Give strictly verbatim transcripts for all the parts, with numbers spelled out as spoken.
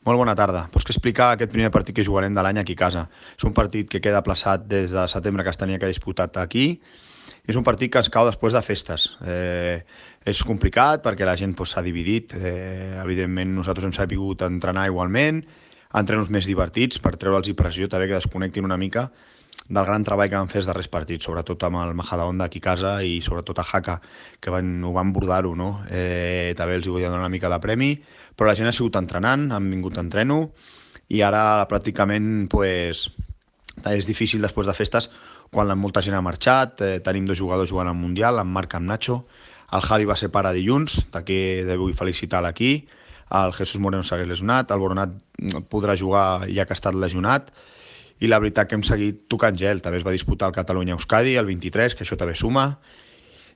Molt bona tarda. Pues què explicar aquest primer partit que jugarem de l'any aquí a casa. És un partit que queda aplaçat des de setembre, que es tenia que disputar aquí. És un partit que ens cau després de festes. Eh, és complicat perquè la gent pues, s'ha dividit. Eh, evidentment nosaltres hem sabut entrenar igualment, entrenos més divertits per treure'ls pressió, també que desconnectin una mica del gran treball que van fer els darrers partits, sobretot amb el Majadahonda aquí a casa i sobretot a Jaca, que van, ho van bordar-ho, no? Eh, també els hi vull donar una mica de premi, però la gent ha sigut entrenant, han vingut a entreno, i ara pràcticament pues, és difícil després de festes quan la molta gent ha marxat, eh, tenim dos jugadors jugant al Mundial, en Marc i en Nacho, el Javi va ser pare dilluns, d'aquí vull felicitar l'aquí, el Jesús Moreno s'hagués lesionat, el Boronat podrà jugar ja que ha estat lesionat, i la veritat que hem seguit tocant gel. També es va disputar el Catalunya-Euskadi, el vint-i-tres, que això també suma,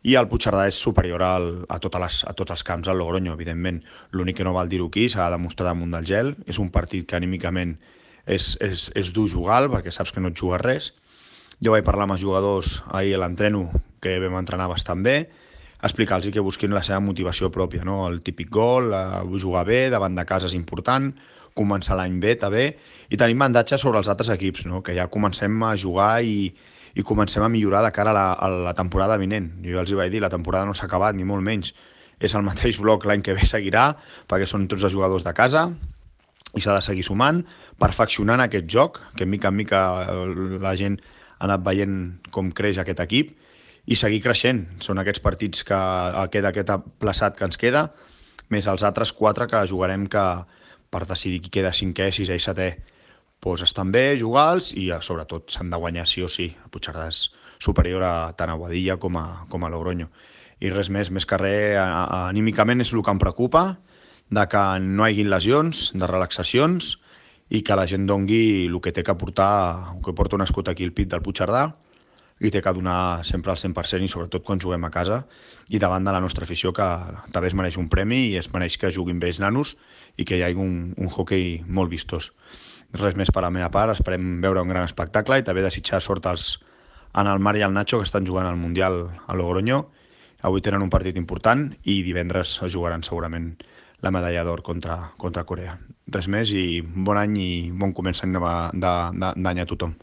i el Puigcerdà és superior al, a, totes les, a tots els camps, al Logroño, evidentment. L'únic que no val dir-ho aquí, s'ha de demostrar damunt del gel. És un partit que anímicament és, és, és dur jugar, perquè saps que no et jugues res. Jo vaig parlar amb els jugadors ahir a l'entreno, que vam entrenar bastant bé, explicar-los que busquin la seva motivació pròpia, no? El típic gol, eh, jugar bé, davant de casa és important, començar l'any bé també, i tenim mandatge sobre els altres equips, no? Que ja comencem a jugar i, i comencem a millorar de cara a la, a la temporada vinent. Jo els hi vaig dir, la temporada no s'ha acabat, ni molt menys. És el mateix bloc l'any que ve seguirà, perquè són tots els jugadors de casa, i s'ha de seguir sumant, perfeccionant aquest joc, que mica en mica la gent ha anat veient com creix aquest equip, i seguir creixent. Són aquests partits que queda aquest plaçat que ens queda, més els altres quatre que jugarem que per decidir qui queda cinquè, sisè i setè. Pues estan bé, jugar-los, i sobretot s'han de guanyar sí o sí. El Puigcerdà és superior a tant a Boadilla com a, com a Logroño. I res més, més que res, anímicament és el que em preocupa, de que no hi hagi lesions, de relaxacions, i que la gent dongui el que té que portar, el que porta un escut aquí al pit del Puigcerdà, i té que donar sempre el cent per cent, i sobretot quan juguem a casa i davant de la nostra afició, que també es mereix un premi i es mereix que juguin bé els nanos i que hi hagi un, un hoquei molt vistós. Res més per a la meva part, esperem veure un gran espectacle i també desitjar sort als, en el Marc i el Nacho, que estan jugant al Mundial a Logroño. Avui tenen un partit important i divendres jugaran segurament la medalla d'or contra, contra Corea. Res més i bon any i bon començament d'any a tothom.